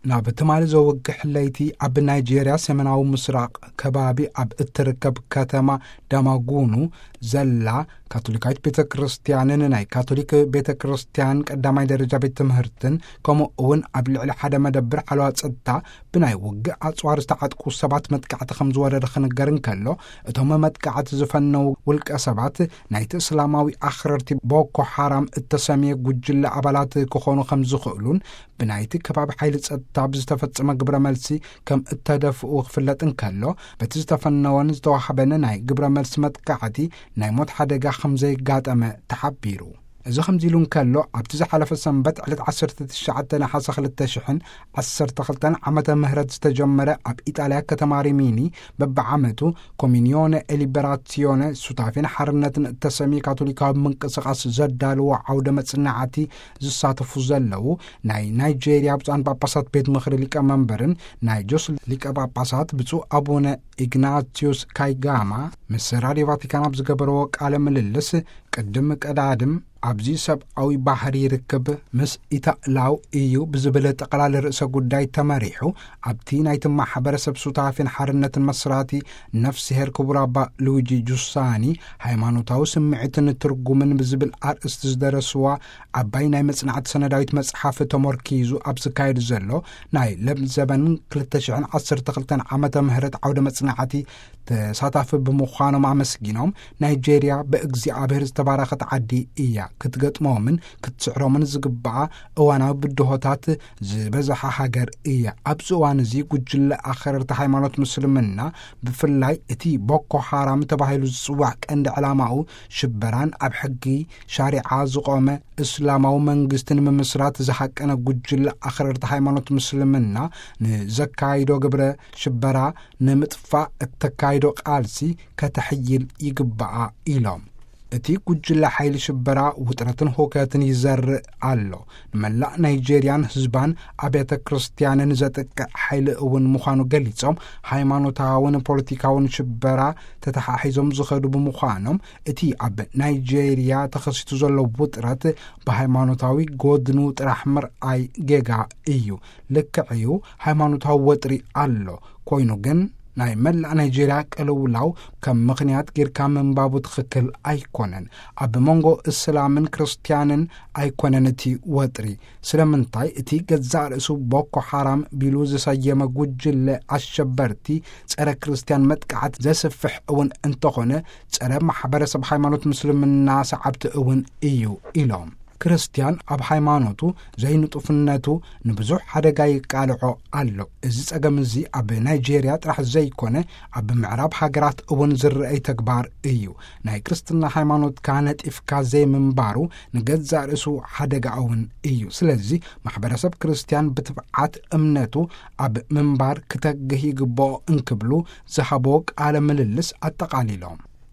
ናብ ትማሊ ዘውግሕ ለይቲ ኣብ ናይጄርያ ሰሜናዊ ምስራቕ ከባቢ ኣብ እትርከብ ከተማ ዳማጉኑ ዘላ ካቶሊካዊት ቤተ ክርስቲያንን ናይ ካቶሊክ ቤተ ክርስቲያን ቀዳማይ ደረጃ ቤት ትምህርትን፣ ከምኡ እውን ኣብ ልዕሊ ሓደ መደብር ሓለዋ ጸጥታ ብናይ ውግእ ኣጽዋር ዝተዓጥቁ ሰባት መጥቃዕቲ ከም ዝወረደ ክንገር እንከሎ፣ እቶም መጥቃዕቲ ዝፈነዉ ውልቀ ሰባት ናይቲ እስላማዊ ኣኽረርቲ ቦኮ ሓራም እተሰምየ ጉጅለ ኣባላት ክኾኑ ከም ዝኽእሉን ብናይቲ ከባቢ ሓይሊ ጸጥታ ብዝተፈጸመ ግብረ መልሲ ከም እተደፍኡ ክፍለጥ እንከሎ፣ በቲ ዝተፈነወን ዝተዋህበን ናይ ግብረ መልሲ መጥቃዕቲ ናይ ሞት ሓደጋ ከም ዘይጋጠመ ተሓቢሩ። እዚ ከምዚ ኢሉ እንከሎ፣ ኣብቲ ዝሓለፈ ሰንበት ዕለት ዓሰርተ ትሽዓተ ነሓሰ ክልተ ሽሕን ዓሰርተ ክልተን ዓመተ ምህረት ዝተጀመረ ኣብ ኢጣልያ ከተማ ሪሚኒ በብዓመቱ ኮሚኒዮነ ኤሊበራሲዮነ ሱታፌን ሓርነትን እተሰምየ ካቶሊካዊ ምንቅስቃስ ዘዳልዎ ዓውደ መጽናዕቲ ዝሳተፉ ዘለዉ ናይ ናይጄርያ ብፁዓን ጳጳሳት ቤት ምኽሪ ሊቀመንበርን ናይ ጆስ ሊቀ ጳጳሳት ብፁዕ ኣቡነ ኢግናቲዮስ ካይጋማ ምስ ራድዮ ቫቲካን ኣብ ዝገበርዎ ቃለ ምልልስ፣ ቅድም ቀዳድም ኣብዚ ሰብኣዊ ባህሪ ርክብ ምስ ኢታላው እዩ ብዝብል ጠቕላሊ ርእሰ ጉዳይ ተመሪሑ፣ ኣብቲ ናይቲ ማሕበረሰብ ሱታፌን ሓርነትን መስራቲ ነፍስሄር ክቡር ኣባ ሉዊጂ ጁሳኒ፣ ሃይማኖታዊ ስምዒትን ትርጉምን ብዝብል ኣርእስቲ ዝደረስዋ ዓባይ ናይ መጽናዕቲ ሰነዳዊት መጽሓፍ ተመርኪዙ ኣብ ዝካየድ ዘሎ ናይ ለምዘበን ክልተ ሽሕን ዓሰርተ ክልተን ዓመተ ምህረት ዓውደ መጽናዕቲ ተሳታፊ ብምዃኖም ኣመስጊኖም፣ ናይጄርያ ብእግዚኣብሔር ዝተባረኸት ዓዲ እያ፣ ክትገጥሞምን ክትስዕሮምን ዝግብኣ እዋናዊ ብድሆታት ዝበዝሓ ሃገር እያ። ኣብዚ እዋን እዚ ጉጅለ ኣኽረርቲ ሃይማኖት ምስልምና፣ ብፍላይ እቲ ቦኮ ሓራም ተባሂሉ ዝጽዋዕ ቀንዲ ዕላማኡ ሽበራን ኣብ ሕጊ ሻሪዓ ዝቖመ እስላማዊ መንግስቲ ንምምስራት ዝሃቀነ ጉጅለ ኣኽረርቲ ሃይማኖት ምስልምና ንዘካይዶ ግብረ ሽበራ ንምጥፋእ እተካይዶ ቃልሲ ከተሕይል ይግባኣ ኢሎም። እቲ ጉጅለ ሓይሊ ሽበራ ውጥረትን ሁከትን ይዘርእ ኣሎ። ንመላእ ናይጄርያን ህዝባን ኣብያተ ክርስቲያንን ዘጥቅዕ ሓይሊ እውን ምዃኑ ገሊጾም፣ ሃይማኖታውን ፖለቲካውን ሽበራ ተተሓሒዞም ዝኸዱ ብምዃኖም፣ እቲ ኣብ ናይጄርያ ተኸሲቱ ዘሎ ውጥረት ብሃይማኖታዊ ጎድኑ ጥራሕ ምርኣይ ጌጋ እዩ። ልክዕ እዩ፣ ሃይማኖታዊ ወጥሪ ኣሎ። ኮይኑ ግን ናይ መላእ ናይጄርያ ቅልውላው ከም ምኽንያት ጌርካ ምንባቡ ትኽክል ኣይኮነን። ኣብ መንጎ እስላምን ክርስትያንን ኣይኮነን እቲ ወጥሪ። ስለምንታይ እቲ ገዛእ ርእሱ ቦኮ ሓራም ቢሉ ዝሰየመ ጉጅለ ኣሸበርቲ ጸረ ክርስትያን መጥቃዕት ዘስፍሕ እውን እንተኾነ፣ ጸረ ማሕበረሰብ ሃይማኖት ምስልምና ሰዓብቲ እውን እዩ ኢሎም። ክርስትያን ኣብ ሃይማኖቱ ዘይንጡፍነቱ ንብዙሕ ሓደጋ ይቃልዖ ኣሎ። እዚ ጸገም እዚ ኣብ ናይጄርያ ጥራሕ ዘይኮነ፣ ኣብ ምዕራብ ሃገራት እውን ዝረኣይ ተግባር እዩ። ናይ ክርስትና ሃይማኖትካ ነጢፍካ ዘይምንባሩ ንገዛእ ርእሱ ሓደጋ እውን እዩ። ስለዚ ማሕበረሰብ ክርስትያን ብትብዓት እምነቱ ኣብ ምንባር ክተግህ ይግብኦ እንክብሉ ዝሃብዎ ቃለ ምልልስ ኣጠቓሊሎም።